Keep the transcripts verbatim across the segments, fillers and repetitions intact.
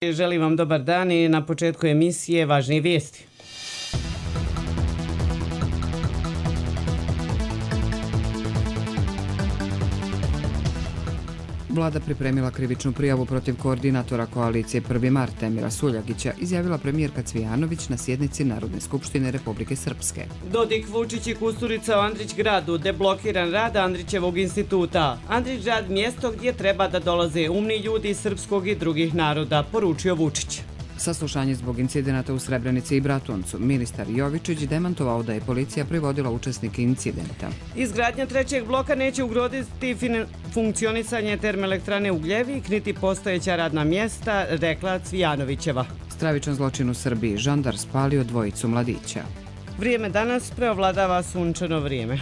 Želim vam dobar dan i na početku emisije važnije vijesti. Vlada pripremila krivičnu prijavu protiv koordinatora koalicije prvi mart Emira Suljagića, izjavila premijerka Cvijanović na sjednici Narodne skupštine Republike Srpske. Dodik, Vučić i Kusturica u Andrićgradu, deblokiran rad Andrićevog instituta. Andrićgrad mjesto gdje treba da dolaze umni ljudi srpskog i drugih naroda, poručio Vučić. Saslušanje zbog incidenata u Srebrenici i Bratuncu. Ministar Jovičić demantovao da je policija privodila učesnike incidenta. Izgradnja trećeg bloka neće ugroziti funkcionisanje termoelektrane Ugljevik niti postojeća radna mjesta, rekla Cvijanovićeva. Stravičan zločin u Srbiji. Žandar spalio dvojicu mladića. Vrijeme danas preovladava sunčano vrijeme.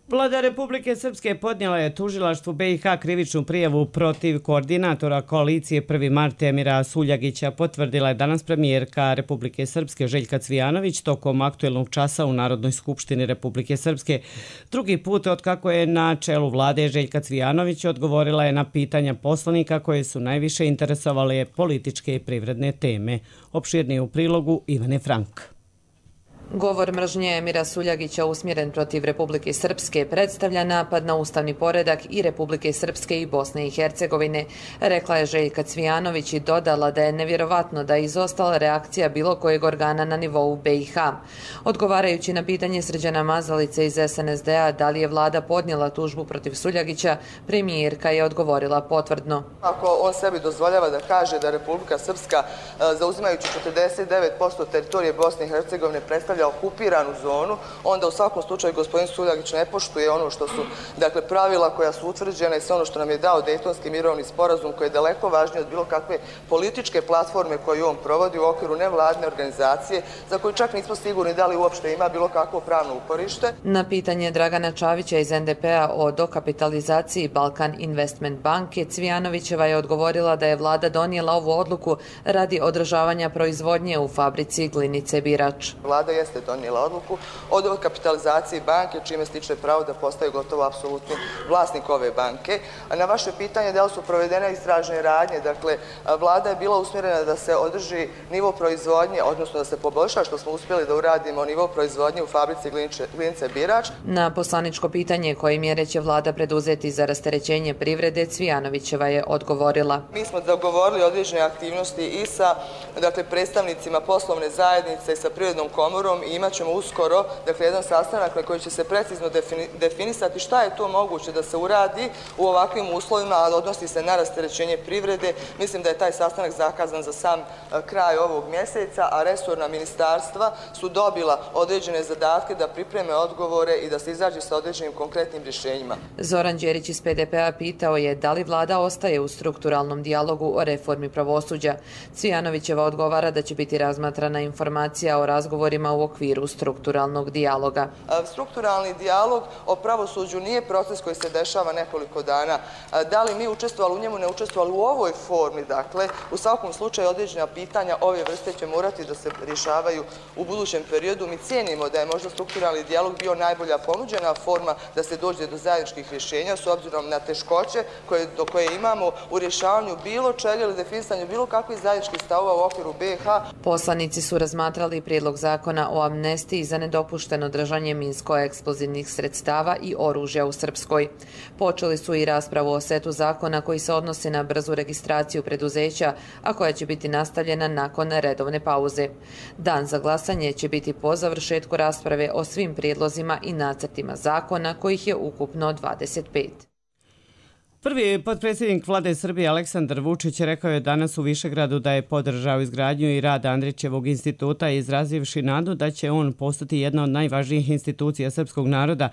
Vlada Republike Srpske podnijela je tužilaštvu B i H krivičnu prijavu protiv koordinatora koalicije prvi mart Emira Suljagića, potvrdila je danas premijerka Republike Srpske Željka Cvijanović tokom aktuelnog časa u Narodnoj skupštini Republike Srpske. Drugi put otkako je na čelu vlade Željka Cvijanović odgovorila je na pitanja poslanika koje su najviše interesovale političke i privredne teme. Opširnije u prilogu Ivane Frank. Govor mržnje Emira Suljagića usmjeren protiv Republike Srpske predstavlja napad na ustavni poredak i Republike Srpske i Bosne i Hercegovine, rekla je Željka Cvijanović i dodala da je nevjerovatno da je izostala reakcija bilo kojeg organa na nivou B i H. Odgovarajući na pitanje Srđana Mazalice iz S N S D-a da li je vlada podnijela tužbu protiv Suljagića, premijerka je odgovorila potvrdno. Ako on sebi dozvoljava da kaže da Republika Srpska, zauzimajući četrdeset devet posto teritorije Bosne i Hercegovine, predstavlja okupiranu zonu, onda u svakom slučaju gospodin Suljagić ne poštuje ono što su, dakle, pravila koja su utvrđena i sve ono što nam je dao Dejtonski mirovni sporazum, koji je daleko važniji od bilo kakve političke platforme koju on provodi u okviru nevladne organizacije, za koju čak nismo sigurni da li uopšte ima bilo kakvo pravno uporište. Na pitanje Dragana Čavića iz N D P-a o dokapitalizaciji Balkan Investment banke, Cvijanovićeva je odgovorila da je vlada donijela ovu odluku radi održavanja proizvodnje u fabrici Glinice Birač. Vlada jeste donijela odluku o dokapitalizaciji banke, čime stiče pravo da postaju gotovo apsolutni vlasnik ove banke. A na vaše pitanje da li su provedene istražne radnje, dakle, vlada je bila usmjerena da se održi nivo proizvodnje, odnosno da se poboljša, što smo uspjeli da uradimo, nivo proizvodnje u fabrici Glinice Birač. Na poslaničko pitanje koje mjere će vlada preduzeti za rasterećenje privrede, Cvijanovićeva je odgovorila. Mi smo dogovorili određene aktivnosti i sa, dakle, predstavnicima poslovne zajednice i sa Privrednom komorom i imat ćemo uskoro, dakle, jedan sastanak na koji će se precizno definisati šta je to moguće da se uradi u ovakvim uslovima, a odnosi se na rasterećenje privrede. Mislim da je taj sastanak zakazan za sam kraj ovog mjeseca, a resorna ministarstva su dobila određene zadatke da pripreme odgovore i da se izađe sa određenim konkretnim rješenjima. Zoran Đerić iz P D P-a pitao je da li vlada ostaje u strukturalnom dijalogu o reformi pravosuđa. Cvijanovićeva odgovara da će biti razmatrana informacija o razgovorima u okviru strukturalnog dijaloga. Strukturalni dijalog o pravosuđu nije proces koji se dešava nekoliko dana. Da li mi učestvovali u njemu, ne učestvovali u ovoj formi, dakle, u svakom slučaju određena pitanja ove vrste će morati da se rješavaju u budućem periodu. Mi cijenimo da je možda strukturalni dijalog bio najbolja ponuđena forma da se dođe do zajedničkih rješenja s obzirom na teškoće do koje imamo u rješavanju bilo čega ili definisanju bilo kakvih zajedničkih stavova u okviru B i H. Poslanici su razmatrali prijedlog zakona o amnestiji za nedopušteno držanje minsko-eksplozivnih sredstava i oružja u Srpskoj. Počeli su i raspravu o setu zakona koji se odnosi na brzu registraciju preduzeća, a koja će biti nastavljena nakon redovne pauze. Dan za glasanje će biti po završetku rasprave o svim prijedlozima i nacrtima zakona, kojih je ukupno dvadeset pet. Prvi potpredsjednik vlade Srbije Aleksandar Vučić rekao je danas u Višegradu da je podržao izgradnju i rad Andrićevog instituta, izrazivši nadu da će on postati jedna od najvažnijih institucija srpskog naroda.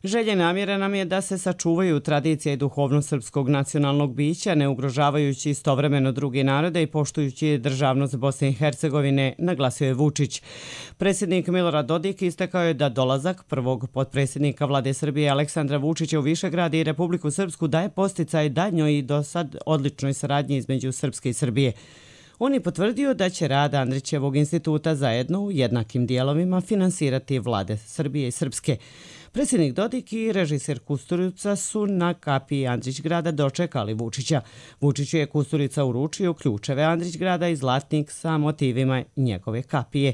Želja i namjera nam je da se sačuvaju tradicija i duhovnost srpskog nacionalnog bića, ne ugrožavajući istovremeno druge narode i poštujući državnost Bosne i Hercegovine, naglasio je Vučić. Predsjednik Milorad Dodik istakao je da dolazak prvog potpredsjednika vlade Srbije Aleksandra Vučića u Višegrad i Republiku Srpsku daje posticaj daljnjoj i do sad odličnoj saradnji između Srpske i Srbije. On je potvrdio da će rad Andrićevog instituta zajedno u jednakim dijelovima finansirati vlade Srbije i Srpske. Predsjednik Dodik i režiser Kusturica su na kapiji Andrićgrada dočekali Vučića. Vučiću je Kusturica uručio ključeve Andrićgrada i zlatnik sa motivima njegove kapije.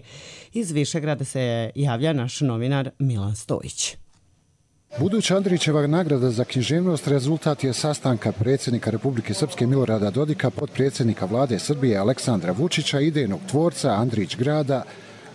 Iz Višegrada se javlja naš novinar Milan Stojić. Buduća Andrićeva nagrada za književnost rezultat je sastanka predsjednika Republike Srpske Milorada Dodika, potpredsjednika vlade Srbije Aleksandra Vučića, idejnog tvorca Andrićgrada,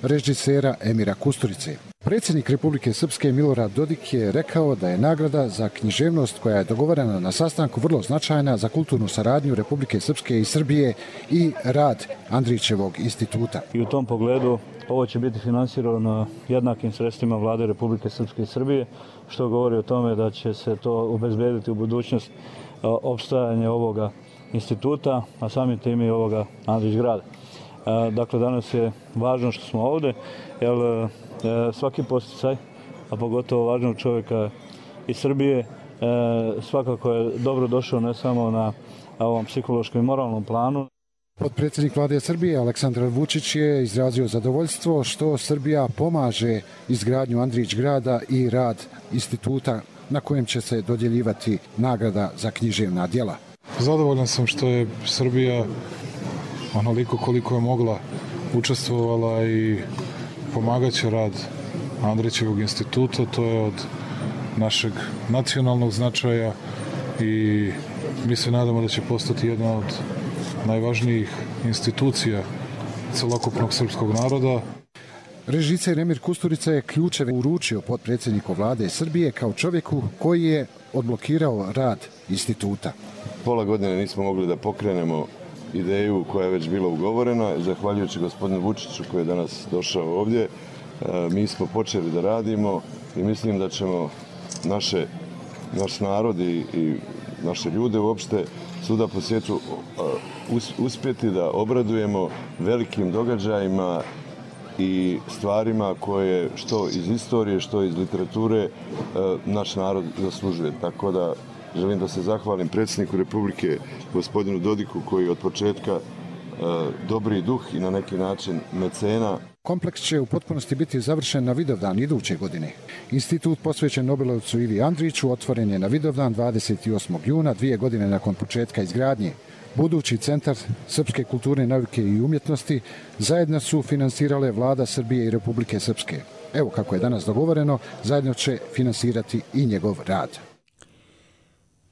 režisera Emira Kusturice. Predsjednik Republike Srpske Milorad Dodik je rekao da je nagrada za književnost koja je dogovorena na sastanku vrlo značajna za kulturnu saradnju Republike Srpske i Srbije i rad Andrićevog instituta. I u tom pogledu ovo će biti finansirano jednakim sredstvima vlade Republike Srpske i Srbije, što govori o tome da će se to obezbediti u budućnost opstajanje ovoga instituta, a samim tim i ovoga Andrićgrada. Dakle, danas je važno što smo ovdje, jer svaki posticaj, a pogotovo važnog čovjeka iz Srbije, svakako je dobro došao ne samo na ovom psihološkom i moralnom planu. Potpredsjednik vlade Srbije Aleksandar Vučić je izrazio zadovoljstvo što Srbija pomaže izgradnju Andrićgrada i rad instituta na kojem će se dodjeljivati nagrada za književna djela. Zadovoljan sam što je Srbija onoliko koliko je mogla učestvovala i pomagaće rad Andrićevog instituta. To je od našeg nacionalnog značaja i mi se nadamo da će postati jedna od najvažnijih institucija celokupnog srpskog naroda. Režiser Emir Kusturica je ključeve uručio potpredsjedniku vlade Srbije kao čovjeku koji je odblokirao rad instituta. Pola godine nismo mogli da pokrenemo ideju koja je već bila ugovorena. Zahvaljujući gospodinu Vučiću koji je danas došao ovdje, mi smo počeli da radimo i mislim da ćemo naše, naš narod i, i naše ljude uopšte svuda po svijetu uspjeti da obradujemo velikim događajima i stvarima koje što iz istorije, što iz literature naš narod zaslužuje. Tako da želim da se zahvalim predsjedniku Republike gospodinu Dodiku koji od početka dobri duh i na neki način mecena. Kompleks će u potpunosti biti završen na Vidovdan iduće godine. Institut posvećen Nobelovcu Ivi Andriću otvoren je na Vidovdan dvadeset osmog juna, dvije godine nakon početka izgradnje. Budući centar srpske kulturne nauke i umjetnosti zajedno su finansirale vlada Srbije i Republike Srpske. Evo kako je danas dogovoreno, zajedno će finansirati i njegov rad.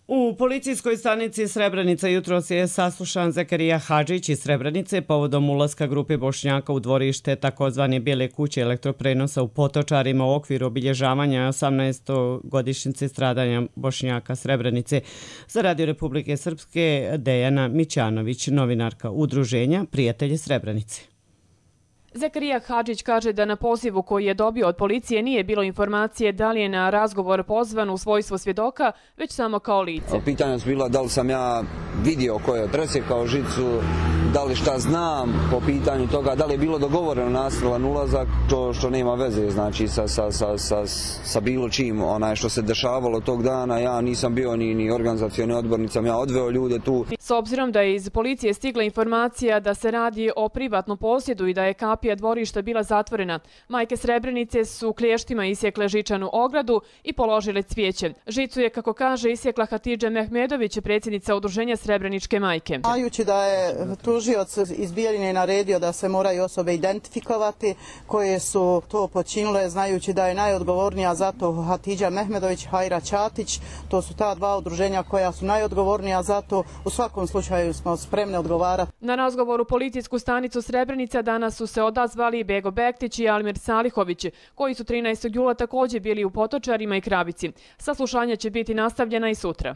U policijskoj stanici Srebrenica jutros je saslušan Zakarija Hadžić iz Srebrenice povodom ulaska grupe Bošnjaka u dvorište takozvane Bijele kuće elektroprenosa u Potočarima u okviru obilježavanja osamnaestogodišnjice stradanja Bošnjaka Srebrenice. Za Radio Republike Srpske Dejana Mićanović, novinarka udruženja Prijatelji Srebrenice. Zakarija Hadžić kaže da na pozivu koji je dobio od policije nije bilo informacije da li je na razgovor pozvan u svojstvo svjedoka, već samo kao lice. Pitanja su bila da li sam ja vidio ko je presjekao žicu, da li šta znam po pitanju toga, da li je bilo dogovoreno nasilan ulazak, to što nema veze znači sa, sa, sa, sa, sa bilo čim onaj što se dešavalo tog dana. Ja nisam bio ni, ni organizacioni odbor, nisam ja odveo ljude tu. S obzirom da je iz policije stigla informacija da se radi o privatnom posjedu i da je kapija dvorišta bila zatvorena, majke Srebrenice su klještima isjekle žičanu ogradu i položile cvijeće. Žicu je, kako kaže, isjekla Hatidža Mehmedović, predsjednica udruženja Srebreničke majke. Znajući da je tužioc iz Bijeljine naredio da se moraju osobe identifikovati koje su to počinile, znajući da je najodgovornija za to Hatidža Mehmedović, Hajra Ćatić, to su ta dva udruženja koja su najodgovornija za to, u svakom slučaju smo spremni odgovarati. Na razgovoru policijsku stanicu Srebrenica danas su se odazvali Bego Bektić i Almir Salihović, koji su trinaestog jula također bili u Potočarima i Kravici. Saslušanja će biti nastavljena i sutra.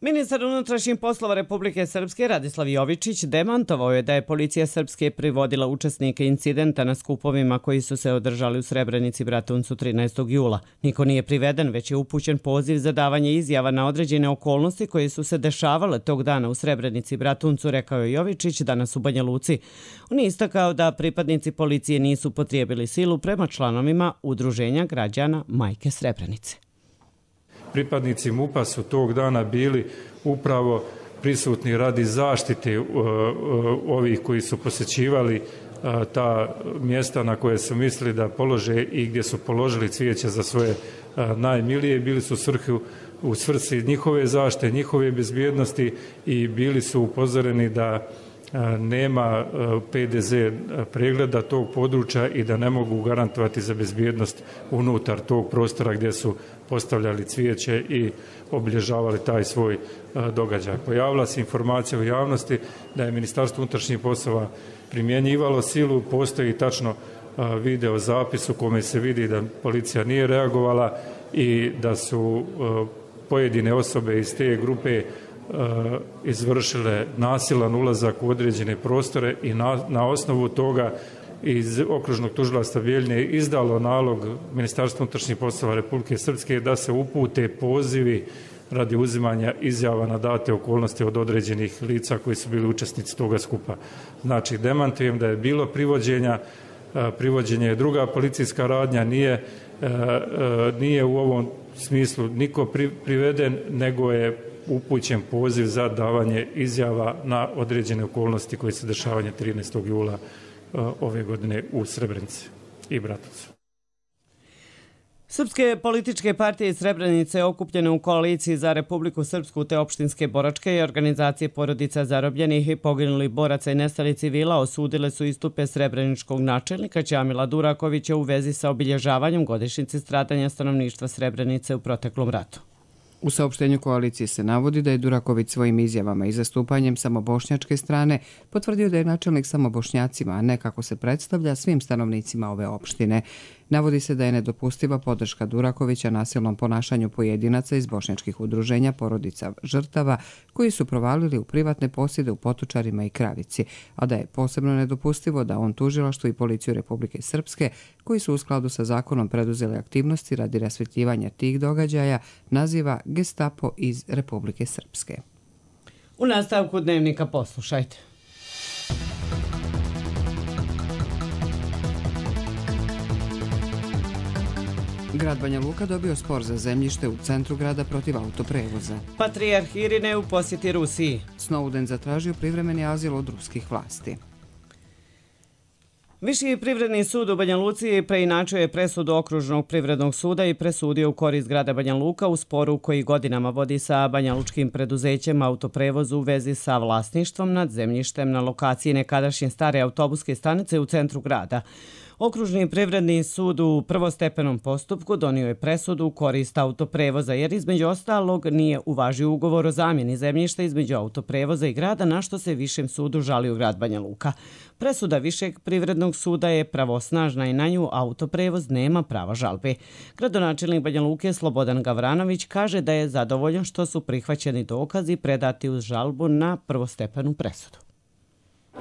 Ministar unutrašnjih poslova Republike Srpske Radislav Jovičić demantovao je da je policija Srpske privodila učesnike incidenta na skupovima koji su se održali u Srebrenici Bratuncu trinaestog jula. Niko nije priveden, već je upućen poziv za davanje izjava na određene okolnosti koje su se dešavale tog dana u Srebrenici Bratuncu, rekao je Jovičić danas u Banja Luci. On je istakao da pripadnici policije nisu potrijebili silu prema članovima udruženja građana Majke Srebrenice. Pripadnici MUP-a su tog dana bili upravo prisutni radi zaštite ovih koji su posjećivali ta mjesta na koje su mislili da polože i gdje su položili cvijeće za svoje najmilije, bili su svrhu u svrsi njihove zaštite, njihove bezbjednosti i bili su upozoreni da nema P D Z pregleda tog područja i da ne mogu garantovati za bezbjednost unutar tog prostora gdje su postavljali cvijeće i obilježavali taj svoj događaj. Pojavila se informacija u javnosti da je Ministarstvo unutrašnjih poslova primjenjivalo silu, postoji tačno video zapis u kome se vidi da policija nije reagovala i da su pojedine osobe iz te grupe izvršile nasilan ulazak u određene prostore i na, na osnovu toga iz okružnog tužilaštva Bijeljine izdalo nalog Ministarstva unutrašnjih poslova Republike Srpske da se upute pozivi radi uzimanja izjava na date okolnosti od određenih lica koji su bili učesnici toga skupa. Znači, demantujem da je bilo privođenja, privođenje je druga policijska radnja, nije, nije u ovom smislu niko priveden, nego je upućen poziv za davanje izjava na određene okolnosti koje se dešavaju trinaestog jula ove godine u Srebrenici i Bratovcu. Srpske političke partije iz Srebrenice okupljene u koaliciji za Republiku Srpsku te opštinske boračke i organizacije porodica zarobljenih i poginulih boraca i nestalih civila osudile su istupe srebreničkog načelnika Ćamila Durakovića u vezi sa obilježavanjem godišnjice stradanja stanovništva Srebrenice u proteklom ratu. U saopštenju koalicije se navodi da je Duraković svojim izjavama i zastupanjem samobošnjačke strane potvrdio da je načelnik samo Bošnjacima, a ne kako se predstavlja svim stanovnicima ove opštine. Navodi se da je nedopustiva podrška Durakovića nasilnom ponašanju pojedinaca iz bošnjačkih udruženja porodica žrtava koji su provalili u privatne posjede u Potočarima i Kravici, a da je posebno nedopustivo da on tužilaštvo i policiju Republike Srpske, koji su u skladu sa zakonom preduzeli aktivnosti radi rasvetljivanja tih događaja, naziva Gestapo iz Republike Srpske. U nastavku dnevnika poslušajte. Grad Banja Luka dobio spor za zemljište u centru grada protiv autoprevoza. Patrijarh Irine u posjeti Rusiji. Snowden zatražio privremeni azil od ruskih vlasti. Viši privredni sud u Banja Luci preinačio je presudu Okružnog privrednog suda i presudio u korist grada Banja Luka u sporu koji godinama vodi sa banjalučkim preduzećem autoprevoz u vezi sa vlasništvom nad zemljištem na lokaciji nekadašnje stare autobuske stanice u centru grada. Okružni privredni sud u prvostepenom postupku donio je presudu u korist autoprevoza jer između ostalog nije uvažio ugovor o zamjeni zemljišta između autoprevoza i grada, na što se Višem sudu žalio grad Banja Luka. Presuda Višeg privrednog suda je pravosnažna i na nju autoprevoz nema prava žalbe. Gradonačelnik Banja Luke Slobodan Gavranović kaže da je zadovoljan što su prihvaćeni dokazi predati uz žalbu na prvostepenu presudu.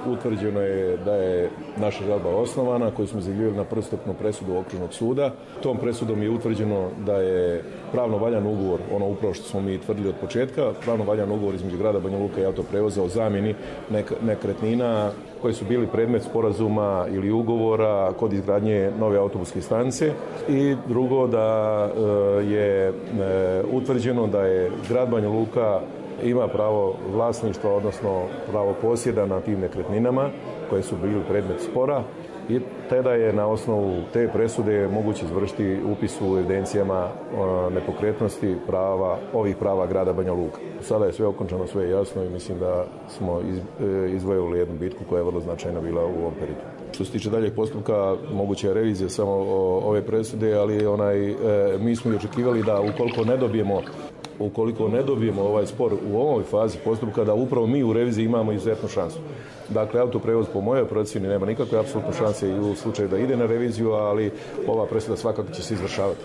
Utvrđeno je da je naša žalba osnovana koju smo izjavljivali na prvostepenu presudu Okružnog suda. Tom presudom je utvrđeno da je pravno valjan ugovor, ono upravo što smo mi tvrdili od početka, pravno valjan ugovor između grada Banja Luka i autoprevoza o zamjeni nek nekretnina koji su bili predmet sporazuma ili ugovora kod izgradnje nove autobuske stanice. I drugo, da je utvrđeno da je grad Banja Luka ima pravo vlasništva, odnosno pravo posjeda na tim nekretninama koje su bili predmet spora i tada je na osnovu te presude moguće izvršiti upis u evidencijama nepokretnosti prava, ovih prava grada Banja Luka. Sada je sve okončano, sve je jasno i mislim da smo izvojili jednu bitku koja je vrlo značajna bila u ovom periodu. Što se tiče daljeg postupka, moguća je revizija samo ove presude, ali onaj, mi smo i očekivali da ukoliko ne dobijemo ukoliko ne dobijemo ovaj spor u ovoj fazi postupka, da upravo mi u reviziji imamo izuzetnu šansu. Dakle, autoprevoz po mojoj procjeni nema nikakve apsolutne šanse i u slučaju da ide na reviziju, ali ova presuda svakako će se izvršavati.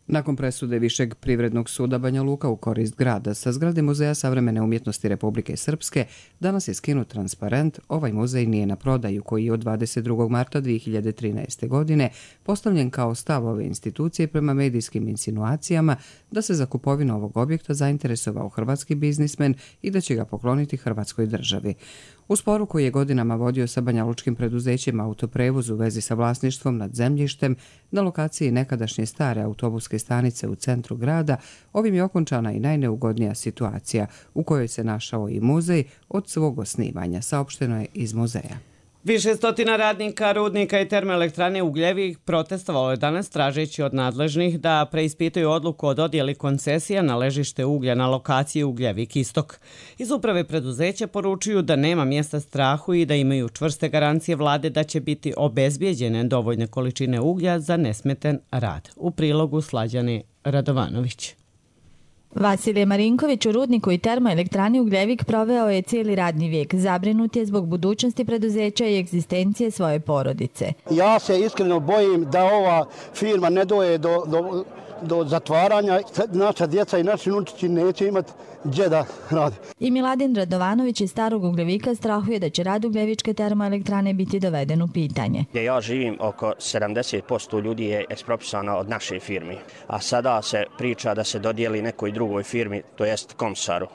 Nakon presude Višeg privrednog suda Banja Luka u korist grada sa zgrade Muzeja savremene umjetnosti Republike Srpske danas je skinut transparent "Ovaj muzej nije na prodaju", koji je od dvadeset drugog marta dvije hiljade trinaeste. godine postavljen kao stav ove institucije prema medijskim insinuacijama da se za kupovinu ovog objekta zainteresovao hrvatski biznismen i da će ga pokloniti Hrvatskoj državi. U sporu koji je godinama vodio sa banjalučkim preduzećem autoprevoz u vezi sa vlasništvom nad zemljištem na lokaciji nekadašnje stare autobuske stanice u centru grada, ovim je okončana i najneugodnija situacija u kojoj se našao i muzej od svog osnivanja, saopšteno je iz muzeja. Više stotina radnika, rudnika i termoelektrane Ugljevik protestovalo je danas tražeći od nadležnih da preispitaju odluku o dodjeli koncesija na ležište uglja na lokaciji Ugljevik Istok. Iz uprave preduzeća poručuju da nema mjesta strahu i da imaju čvrste garancije vlade da će biti obezbijeđene dovoljne količine uglja za nesmetan rad. U prilogu Slađane Radovanović. Vasilije Marinković u rudniku i termoelektrani Ugljevik proveo je cijeli radni vijek. Zabrinut je zbog budućnosti preduzeća i egzistencije svoje porodice. Ja se iskreno bojim da ova firma ne doje do, do, do zatvaranja. Naša djeca i naši unučići neće imati gdje da rade. I Miladin Radovanović iz Starog Ugljevika strahuje da će rad Ugljevičke termoelektrane biti doveden u pitanje. Gdje ja živim, oko sedamdeset posto ljudi je ekspropisano od naše firme, a sada se priča da se dodijeli nekoj drugoj firmi, to jest Komsaru.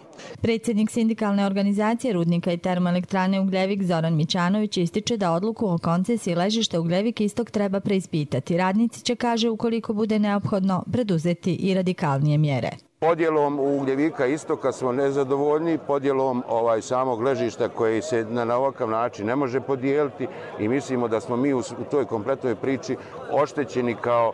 Predsjednik sindikalne organizacije rudnika i termoelektrane Ugljevik Zoran Mićanović ističe da odluku o koncesiji ležišta Ugljevik Istok treba preispitati. Radnici će, kaže, ukoliko bude neophodno, preduzeti i radikalnije mjere. Podjelom Ugljevika Istoka smo nezadovoljni, podjelom ovaj samog ležišta koji se na, na ovakav način ne može podijeliti i mislimo da smo mi u, u toj kompletnoj priči oštećeni kao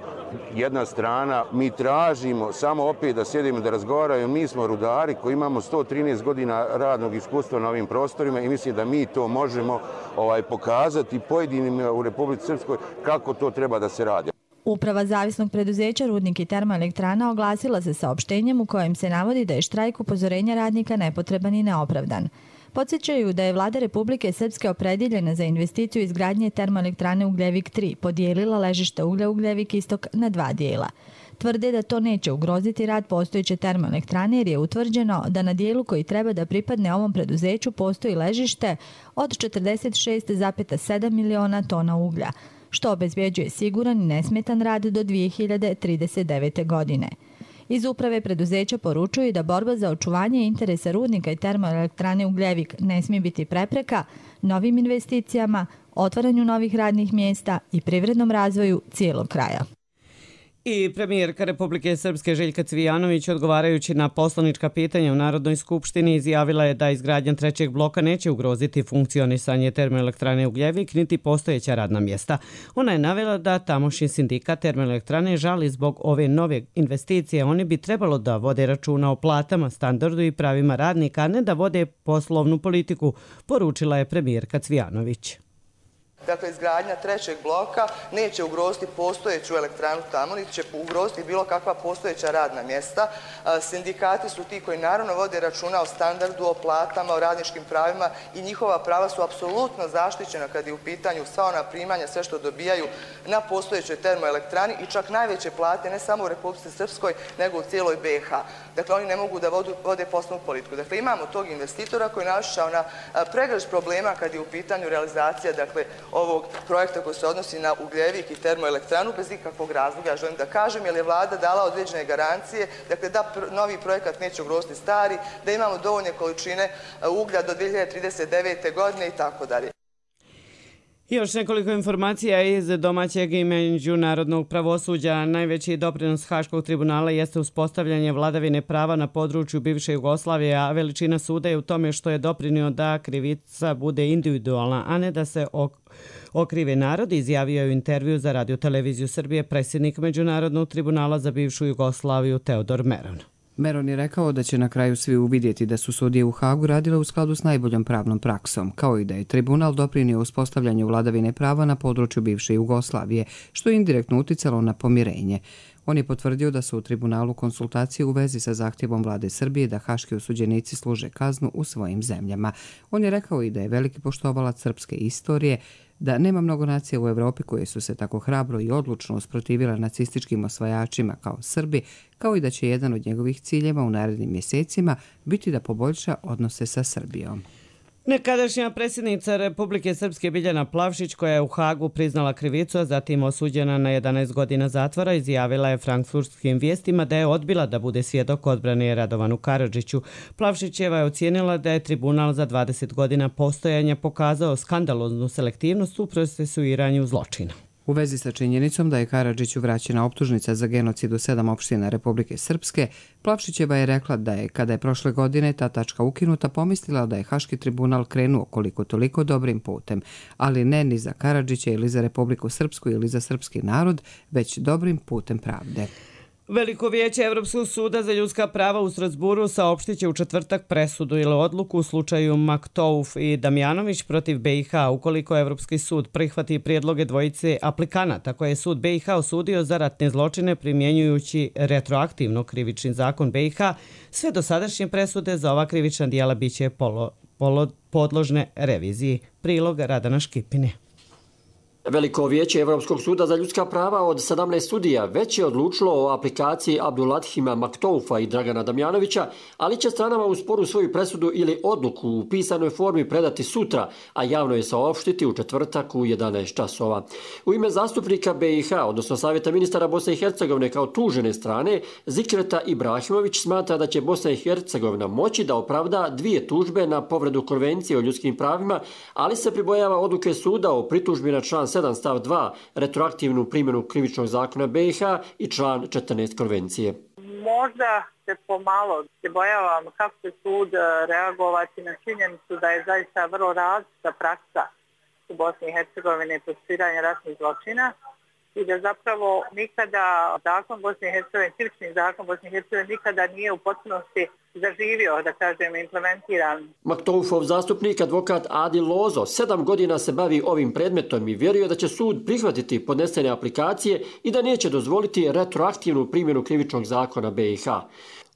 jedna strana. Mi tražimo samo opet da sjedimo da razgovaraju. Mi smo rudari koji imamo sto trinaest godina radnog iskustva na ovim prostorima i mislim da mi to možemo ovaj, pokazati pojedinima u Republici Srpskoj kako to treba da se radi. Uprava zavisnog preduzeća Rudnik i termoelektrana oglasila se saopštenjem u kojem se navodi da je štrajk upozorenja radnika nepotreban i neopravdan. Podsjećaju da je vlada Republike Srpske opredjeljena za investiciju izgradnje termoelektrane Ugljevik tri podijelila ležište uglja Ugljevik Istok na dva dijela. Tvrde da to neće ugroziti rad postojeće termoelektrane jer je utvrđeno da na dijelu koji treba da pripadne ovom preduzeću postoji ležište od četrdeset šest zarez sedam miliona tona uglja, što obezbjeđuje siguran i nesmetan rad do dvije hiljade trideset devete. godine. Iz uprave preduzeća poručuju da borba za očuvanje interesa rudnika i termoelektrane Ugljevik ne smije biti prepreka novim investicijama, otvaranju novih radnih mjesta i privrednom razvoju cijelog kraja. I premijerka Republike Srpske Željka Cvijanović, odgovarajući na poslanička pitanja u Narodnoj skupštini, izjavila je da izgradnja trećeg bloka neće ugroziti funkcionisanje termoelektrane Ugljevik niti postojeća radna mjesta. Ona je navela da tamošnji sindikat termoelektrane žali zbog ove nove investicije. Oni bi trebalo da vode računa o platama, standardu i pravima radnika, a ne da vode poslovnu politiku, poručila je premijerka Cvijanović. Dakle, izgradnja trećeg bloka neće ugroziti postojeću elektranu tamo, niti će ugroziti bilo kakva postojeća radna mjesta. Sindikati su ti koji naravno vode računa o standardu, o platama, o radničkim pravima i njihova prava su apsolutno zaštićena kad je u pitanju sva ona primanja, sve što dobijaju na postojećoj termoelektrani i čak najveće plate ne samo u Republici Srpskoj, nego u cijeloj B i H. Dakle, oni ne mogu da vodu, vode poslovnu politiku. Dakle, imamo tog investitora koji je naišao na pregršt problema kad je u pitanju realizacija, dakle, ovog projekta koji se odnosi na Ugljevik i termoelektranu bez ikakvog razloga, ja želim da kažem, jer je vlada dala određene garancije, dakle da novi projekat neće ugroziti stari, da imamo dovoljne količine uglja do dvije hiljade trideset devete. godine i tako dalje. Još nekoliko informacija iz domaćeg i međunarodnog pravosuđa. Najveći doprinos Haškog tribunala jeste uspostavljanje vladavine prava na području bivše Jugoslavije, a veličina suda je u tome što je doprinio da krivica bude individualna, a ne da se okrive narod, izjavio je u intervju za Radio Televiziju Srbije predsjednik Međunarodnog tribunala za bivšu Jugoslaviju Teodor Meron. Meron je rekao da će na kraju svi uvidjeti da su sudije u Hagu radile u skladu s najboljom pravnom praksom, kao i da je tribunal doprinio uspostavljanju vladavine prava na području bivše Jugoslavije, što je indirektno uticalo na pomirenje. On je potvrdio da su u tribunalu konsultacije u vezi sa zahtjevom vlade Srbije da haški osuđenici služe kaznu u svojim zemljama. On je rekao i da je veliki poštovalac srpske istorije, da nema mnogo nacija u Evropi koje su se tako hrabro i odlučno usprotivile nacističkim osvajačima kao Srbi, kao i da će jedan od njegovih ciljeva u narednim mjesecima biti da poboljša odnose sa Srbijom. Nekadašnja predsjednica Republike Srpske Biljana Plavšić, koja je u Hagu priznala krivicu, a zatim osuđena na jedanaest godina zatvora, izjavila je frankfurtskim vijestima da je odbila da bude svjedok odbrane Radovanu Karadžiću. Plavšićeva je ocijenila da je tribunal za dvadeset godina postojanja pokazao skandaloznu selektivnost u procesuiranju zločina. U vezi sa činjenicom da je Karadžiću vraćena optužnica za genocid u sedam opština Republike Srpske, Plavšićeva je rekla da je, kada je prošle godine ta tačka ukinuta, pomislila da je Haški tribunal krenuo koliko toliko dobrim putem, ali ne ni za Karadžića ili za Republiku Srpsku ili za srpski narod, već dobrim putem pravde. Veliko vijeće Evropskog suda za ljudska prava u Strasburu saopštit će u četvrtak presudu ili odluku u slučaju Maktouf i Damjanović protiv B i H ukoliko Evropski sud prihvati prijedloge dvojice aplikanata koje je sud B i H osudio za ratne zločine primjenjujući retroaktivno krivični zakon B i H. Sve dosadašnje presude za ova krivična dijela biće polo, polo, podložne reviziji. Prilog Radana Škipine. Veliko vijeće Evropskog suda za ljudska prava od sedamnaest sudija već je odlučilo o aplikaciji Abdulathima Maktoufa i Dragana Damjanovića, ali će stranama u sporu svoju presudu ili odluku u pisanoj formi predati sutra, a javno je saopštiti u četvrtak u jedanaest časova. U ime zastupnika B i H, odnosno Savjeta ministara Bosne i Hercegovine kao tužene strane, Zikreta Ibrahimović smatra da će Bosna i Hercegovina moći da opravda dvije tužbe na povredu konvencije o ljudskim pravima, ali se pribojava odluke suda o pritužbi na član sedam stav dva, retroaktivnu primjenu krivičnog zakona B i H i član četrnaest konvencije. Možda se pomalo se bojavam kako će sud reagovati na činjenicu da je zaista vrlo različita praksa u Bosni i Hercegovini procesuiranja ratnih zločina i da zapravo nikada zakon Bosne i Hercegovine, krivični zakon Bosne i Hercegovine nikada nije u potpunosti zaživio, da kažem, implementiran. Maktoufov zastupnik, advokat Adil Lozo, sedam godina se bavi ovim predmetom i vjeruje da će sud prihvatiti podnesene aplikacije i da neće dozvoliti retroaktivnu primjenu krivičnog zakona B i H.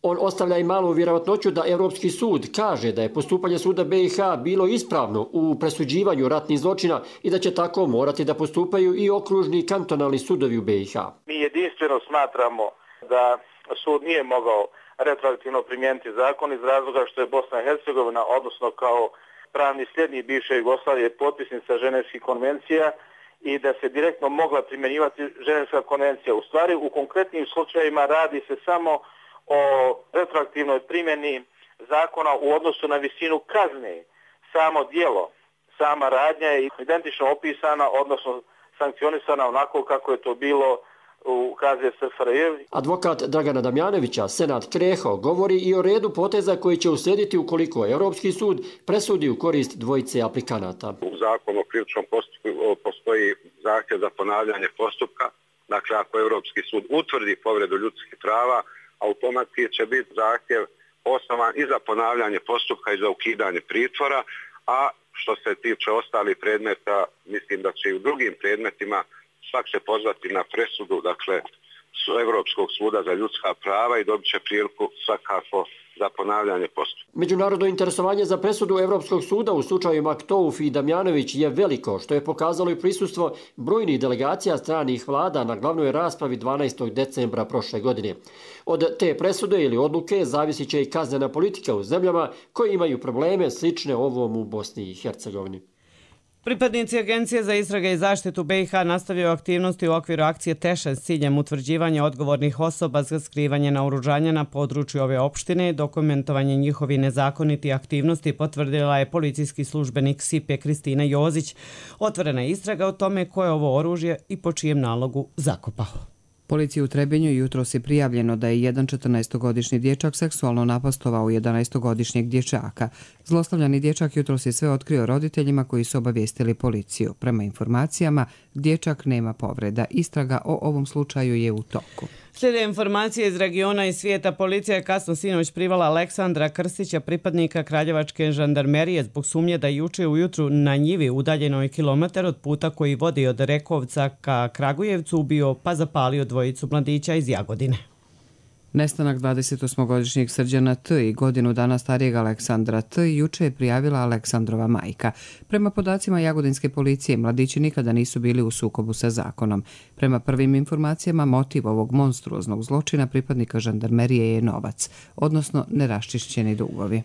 On ostavlja i malu vjerovatnoću da Evropski sud kaže da je postupanje suda B i H bilo ispravno u presuđivanju ratnih zločina i da će tako morati da postupaju i okružni kantonalni sudovi u B i H. Mi jedinstveno smatramo da sud nije mogao retroaktivno primijeniti zakon iz razloga što je Bosna i Hercegovina, odnosno kao pravni sljednik bivše Jugoslavije, potpisnica Ženevskih konvencija i da se direktno mogla primjenjivati Ženevska konvencija. U stvari, u konkretnim slučajevima radi se samo o retroaktivnoj primjeni zakona u odnosu na visinu kazne. Samo dijelo, sama radnja je identično opisana, odnosno sankcionisana onako kako je to bilo u K Z S F R J. Advokat Dragana Damjanovića, Senad Kreho, govori i o redu poteza koji će uslijediti ukoliko Europski sud presudi u korist dvojice aplikanata. U zakonu o krivičnom postupku postoji zahtjev za ponavljanje postupka. Dakle, ako Europski sud utvrdi povredu ljudskih prava, automatski će biti zahtjev osnovan i za ponavljanje postupka i za ukidanje pritvora, a što se tiče ostalih predmeta, mislim da će i u drugim predmetima svak se pozvati na presudu, dakle, Evropskog suda za ljudska prava i dobit će priliku svakako za ponavljanje postupka. Međunarodno interesovanje za presudu Evropskog suda u slučaju Maktouf i Damjanović je veliko, što je pokazalo i prisustvo brojnih delegacija stranih vlada na glavnoj raspravi dvanaestog decembra prošle godine. Od te presude ili odluke zavisit će i kaznena politika u zemljama koje imaju probleme slične ovom u Bosni i Hercegovini. Pripadnici Agencije za istrage i zaštitu B i H nastavljaju aktivnosti u okviru akcije Teša s ciljem utvrđivanja odgovornih osoba za skrivanje naoružanja na području ove opštine. Dokumentovanje njihovih nezakonitih aktivnosti potvrdila je policijski službenik S I P E Kristina Jozić. Otvorena je istraga o tome ko je ovo oružje i po čijem nalogu zakopao. Policiji u Trebinju jutros je prijavljeno da je jedan četrnaestogodišnji dječak seksualno napastovao jedanaestogodišnjeg dječaka. Zlostavljani dječak jutros je sve otkrio roditeljima koji su obavijestili policiju. Prema informacijama, dječak nema povreda. Istraga o ovom slučaju je u toku. Slijede informacije iz regiona i svijeta. Policija je kasno sinoć privala Aleksandra Krstića, pripadnika Kraljevačke žandarmerije, zbog sumnje da je juče ujutru na njivi udaljenoj kilometar od puta koji vodi od Rekovca ka Kragujevcu ubio pa zapalio dvojicu mladića iz Jagodine. Nestanak dvadesetosmogodišnjeg Srđana T. i godinu dana starijeg Aleksandra T. juče je prijavila Aleksandrova majka. Prema podacima jagodinske policije, mladići nikada nisu bili u sukobu sa zakonom. Prema prvim informacijama, motiv ovog monstruoznog zločina pripadnika žandarmerije je novac, odnosno neraščišćeni dugovi.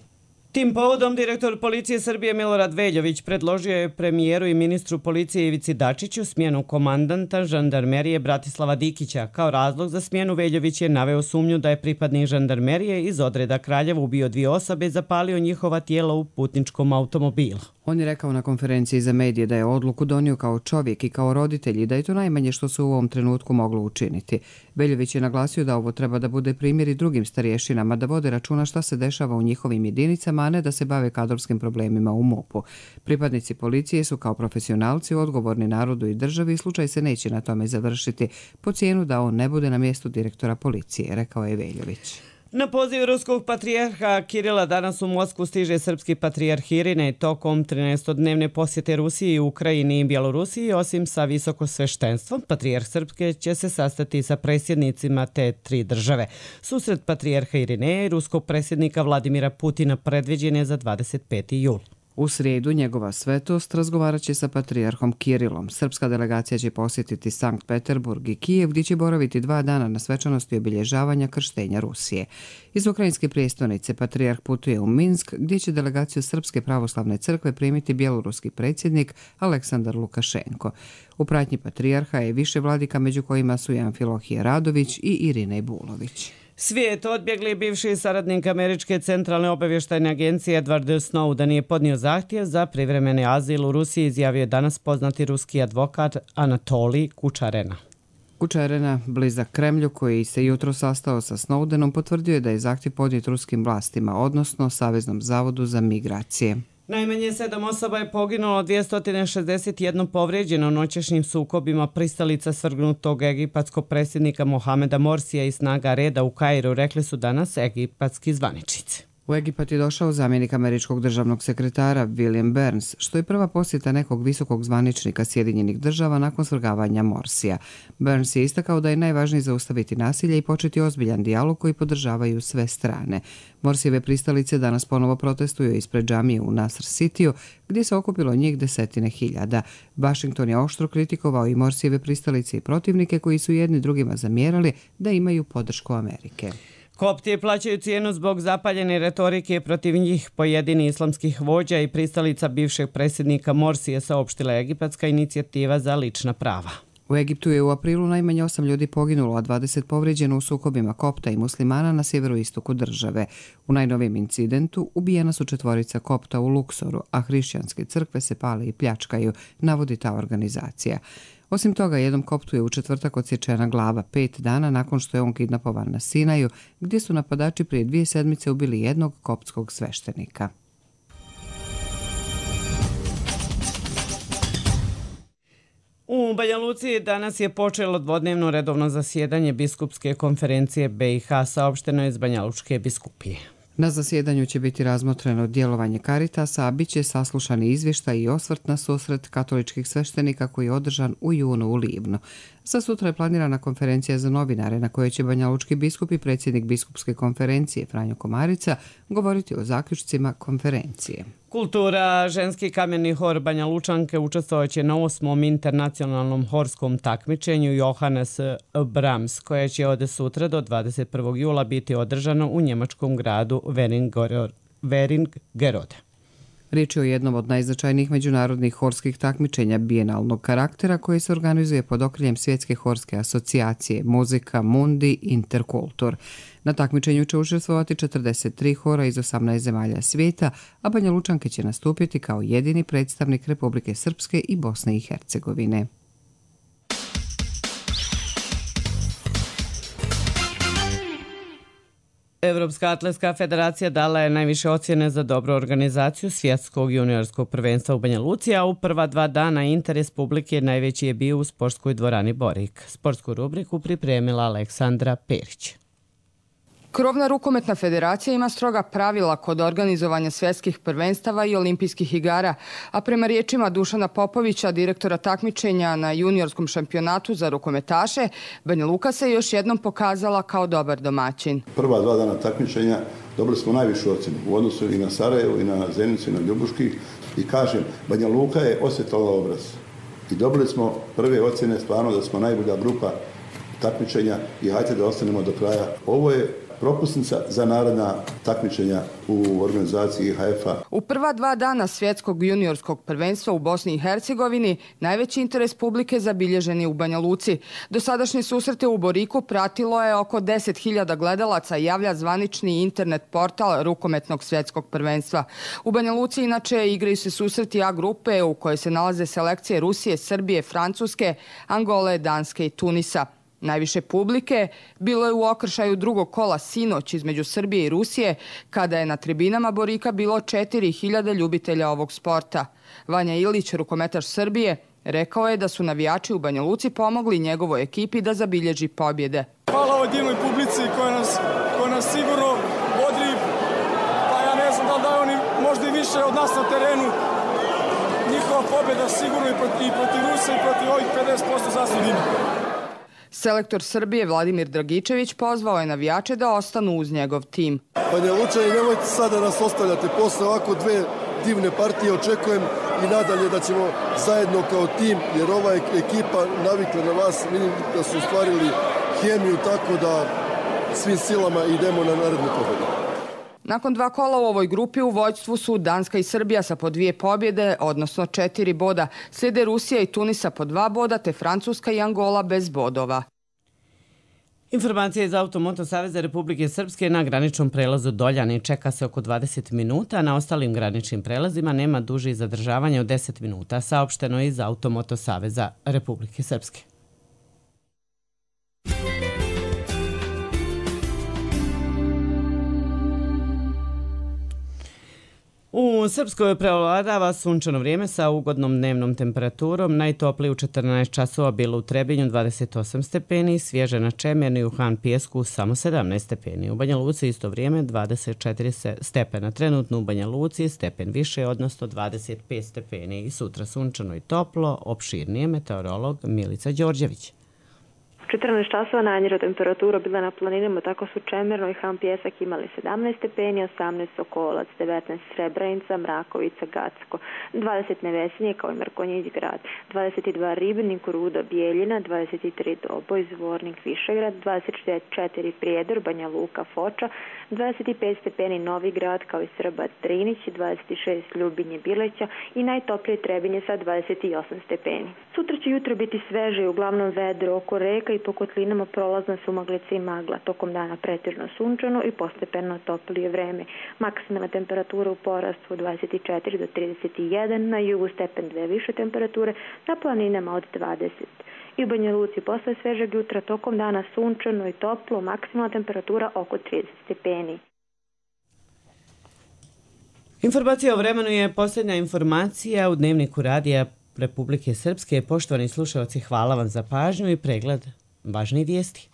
Tim povodom direktor policije Srbije Milorad Veljović predložio je premijeru i ministru policije Ivici Dačiću smjenu komandanta žandarmerije Bratislava Dikića. Kao razlog za smjenu Veljović je naveo sumnju da je pripadnik žandarmerije iz odreda Kraljeva ubio dvije osobe i zapalio njihova tijela u putničkom automobilu. On je rekao na konferenciji za medije da je odluku donio kao čovjek i kao roditelj i da je to najmanje što se u ovom trenutku moglo učiniti. Veljović je naglasio da ovo treba da bude primjer i drugim starješinama da vode računa šta se dešava u njihovim jedinicama, a ne da se bave kadrovskim problemima u MUP-u. Pripadnici policije su kao profesionalci odgovorni narodu i državi i slučaj se neće na tome završiti po cijenu da on ne bude na mjestu direktora policije, rekao je Veljović. Na poziv ruskog patrijarha Kirila danas u Moskvu stiže srpski patrijarh Irinej tokom trinaestodnevne posjete Rusiji, Ukrajini i Bjelorusiji. Osim sa visokosveštenstvom, patrijarh Srpske će se sastati sa predsjednicima te tri države. Susret patrijarha Irineja i ruskog predsjednika Vladimira Putina predviđen je za dvadeset peti jul. U srijedu njegova svetost razgovarat će sa patrijarhom Kirilom. Srpska delegacija će posjetiti Sankt Peterburg i Kijev, gdje će boraviti dva dana na svečanosti obilježavanja krštenja Rusije. Iz ukrajinske prijestolnice patrijarh putuje u Minsk, gdje će delegaciju Srpske pravoslavne crkve primiti bjeloruski predsjednik Aleksandar Lukašenko. U pratnji patrijarha je više vladika, među kojima su i Amfilohije Radović i Irinej Bulović. Svijet odbjegli bivši saradnik Američke centralne obavještajne agencije Edward Snowden je podnio zahtjev za privremeni azil u Rusiji, izjavio je danas poznati ruski advokat Anatolij Kučarena. Kučarena, blizak Kremlju, koji se jutro sastao sa Snowdenom, potvrdio je da je zahtjev podnijet ruskim vlastima, odnosno Saveznom zavodu za migracije. Najmanje sedam osoba je poginulo, dvjesto šezdeset jedan povrijeđeno noćešnjim sukobima pristalica svrgnutog egipatskog predsjednika Mohameda Morsija i snaga reda u Kairu, rekli su danas egipatski zvaničnici. U Egipat je došao zamjenik američkog državnog sekretara William Burns, što je prva posjeta nekog visokog zvaničnika Sjedinjenih država nakon svrgavanja Morsija. Burns je istakao da je najvažnije zaustaviti nasilje i početi ozbiljan dijalog koji podržavaju sve strane. Morsijeve pristalice danas ponovo protestuju ispred džamije u Nasr Cityu, gdje se okupilo njih desetine hiljada. Washington je oštro kritikovao i Morsijeve pristalice i protivnike koji su jedni drugima zamjerali da imaju podršku Amerike. Kopti plaćaju cijenu zbog zapaljene retorike protiv njih. Pojedini islamskih vođa i pristalica bivšeg predsjednika Morsije saopštila egipatska inicijativa za lična prava. U Egiptu je u aprilu najmanje osam ljudi poginulo, a dvadeset povrijeđeno u sukobima kopta i muslimana na sjeveroistoku države. U najnovijem incidentu ubijena su četvorica kopta u Luksoru, a hrišćanske crkve se pale i pljačkaju, navodi ta organizacija. Osim toga, jednom koptu je u četvrtak odsječena glava pet dana nakon što je on kidnapovan na Sinaju, gdje su napadači prije dvije sedmice ubili jednog koptskog sveštenika. U Banja Luci danas je počelo dvodnevno redovno zasjedanje biskupske konferencije B i H, saopšteno iz Banja Lučke biskupije. Na zasjedanju će biti razmotreno djelovanje Karitasa, a bit će saslušani izvještaj i osvrt na susret katoličkih sveštenika koji je održan u junu u Livnu. Sa sutra je planirana konferencija za novinare na kojoj će banjalučki biskup i predsjednik biskupske konferencije Franjo Komarica govoriti o zaključcima konferencije. Kultura, ženski kameni hor Banja Lučanke učestvovaće na osmom internacionalnom horskom takmičenju Johannes Brahms, koje će od sutra do dvadeset prvog jula biti održano u njemačkom gradu Weringerode. Riječ je o jednom od najznačajnijih međunarodnih horskih takmičenja bijenalnog karaktera koji se organizuje pod okriljem Svjetske horske asocijacije Muzika Mundi Interkultur. Na takmičenju će učestvovati četrdeset tri hora iz osamnaest zemalja svijeta, a Banja Lučanke će nastupiti kao jedini predstavnik Republike Srpske i Bosne i Hercegovine. Evropska atletska federacija dala je najviše ocjene za dobru organizaciju svjetskog juniorskog prvenstva u Banja Luci, a u prva dva dana interes publike najveći je bio u sportskoj dvorani Borik. Sportsku rubriku pripremila Aleksandra Perić. Krovna rukometna federacija ima stroga pravila kod organizovanja svjetskih prvenstava i olimpijskih igara, a prema riječima Dušana Popovića, direktora takmičenja na juniorskom šampionatu za rukometaše, Banja Luka se još jednom pokazala kao dobar domaćin. Prva dva dana takmičenja dobili smo najvišu ocjenu u odnosu i na Sarajevo, i na Zenicu, i na Ljubuški. I kažem, Banja Luka je osjetala obraz. I dobili smo prve ocjene stvarno da smo najbolja grupa takmičenja i hajde da ostanemo do kraja. Ovo je propusnica za naredna takmičenja u organizaciji I H F-a. U prva dva dana svjetskog juniorskog prvenstva u Bosni i Hercegovini najveći interes publike zabilježen je u Banja Luci. Dosadašnje susrete u Boriku pratilo je oko deset hiljada gledalaca, javlja zvanični internet portal rukometnog svjetskog prvenstva. U Banja Luci inače igraju se susreti A grupe u kojoj se nalaze selekcije Rusije, Srbije, Francuske, Angole, Danske i Tunisa. Najviše publike bilo je u okršaju drugog kola sinoć između Srbije i Rusije, kada je na tribinama Borika bilo četiri hiljade ljubitelja ovog sporta. Vanja Ilić, rukometaš Srbije, rekao je da su navijači u Banja Luci pomogli njegovoj ekipi da zabilježi pobjede. Hvala ovoj divnoj publici koja nas, koja nas sigurno bodri, pa ja ne znam da li da oni možda i više od nas na terenu. Njihova pobjeda sigurno i protiv, i protiv Rusa i protiv ovih pedeset posto zaslužnih. Selektor Srbije Vladimir Dragičević pozvao je navijače da ostanu uz njegov tim. Banja Lučani, nemojte sada nas ostavljati. Posle ovako dve divne partije očekujem i nadalje da ćemo zajedno kao tim, jer ova ekipa navikla na vas, vidim da su ostvarili hemiju, tako da svim silama idemo na narednu pobjedu. Nakon dva kola u ovoj grupi u vođstvu su Danska i Srbija sa po dvije pobjede, odnosno četiri boda. Slijede Rusija i Tunisa po dva boda, te Francuska i Angola bez bodova. Informacija iz Automoto Saveza Republike Srpske na graničnom prelazu Doljani čeka se oko dvadeset minuta, na ostalim graničnim prelazima nema dužih zadržavanja od deset minuta, saopšteno je iz Automoto Saveza Republike Srpske. U Srpskoj prevladava sunčano vrijeme sa ugodnom dnevnom temperaturom. Najtoplije u četrnaest časova bilo u Trebinju dvadeset osam stepeni, svježe na Čemerni i u Han Pijesku samo sedamnaest stepeni. U Banja Luci isto vrijeme dvadeset četiri stepena. Trenutno u Banja Luci stepen više, odnosno dvadeset pet stepeni. I sutra sunčano i toplo, opširnije meteorolog Milica Đorđević. četrnaest časova najniža temperatura bila na planinama, tako su Čemerno i Han Pijesak imali sedamnaest stepeni, osamnaest Sokolac, devetnaest Srebrenica, Mrakovica, Gacko, dvadeset Nevesinje kao i Mrkonjić grad, dvadeset dva Ribnik, Ruda, Bijeljina, dvadeset tri Doboj, Zvornik, Višegrad, dvadeset četiri Prijedor, Banja Luka, Foča, dvadeset pet stepeni Novi grad kao i Srba, Drinić, dvadeset šest Ljubinje, Bileća i najtoplije Trebinje sa dvadeset osam stepeni. Sutra će jutro biti sveže i uglavnom vedro oko reka i po kotlinama prolazna su maglica i magla. Tokom dana pretežno sunčano i postepeno toplije vreme. Maksimalna temperatura u porastu od dvadeset četiri do trideset jedan, na jugu stepen dve više temperature, na planinama od dvadeset. I u Banja Luci posle svežeg jutra tokom dana sunčano i toplo, maksimalna temperatura oko trideset stepeni. Informacija o vremenu je posljednja informacija u Dnevniku radija Republike Srpske. Poštovani slušalci, hvala vam za pažnju i pregled važnih vijesti.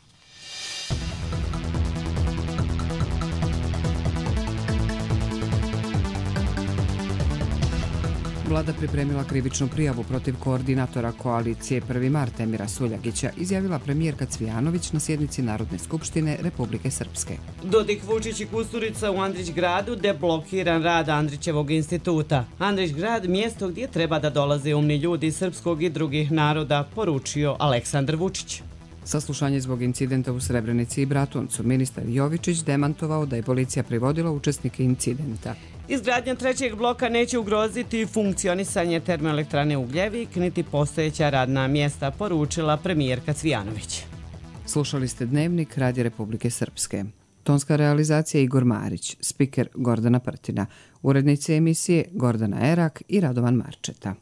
Vlada pripremila krivičnu prijavu protiv koordinatora koalicije prvi mart Emira Suljagića, izjavila premijerka Cvijanović na sjednici Narodne skupštine Republike Srpske. Dodik, Vučić i Kusturica u Andrić gradu, deblokiran rad Andrićevog instituta. Andrić grad, mjesto gdje treba da dolaze umni ljudi srpskog i drugih naroda, poručio Aleksandar Vučić. Saslušanje zbog incidenta u Srebrenici i Bratuncu. Ministar Jovičić demantovao da je policija privodila učesnike incidenta. Izgradnja trećeg bloka neće ugroziti funkcionisanje termoelektrane Ugljevik, niti postojeća radna mjesta, poručila premijerka Cvijanović. Slušali ste Dnevnik Radija Republike Srpske. Tonska realizacija Igor Marić, spiker Gordana Prtina, urednice emisije Gordana Erak i Radovan Marčeta.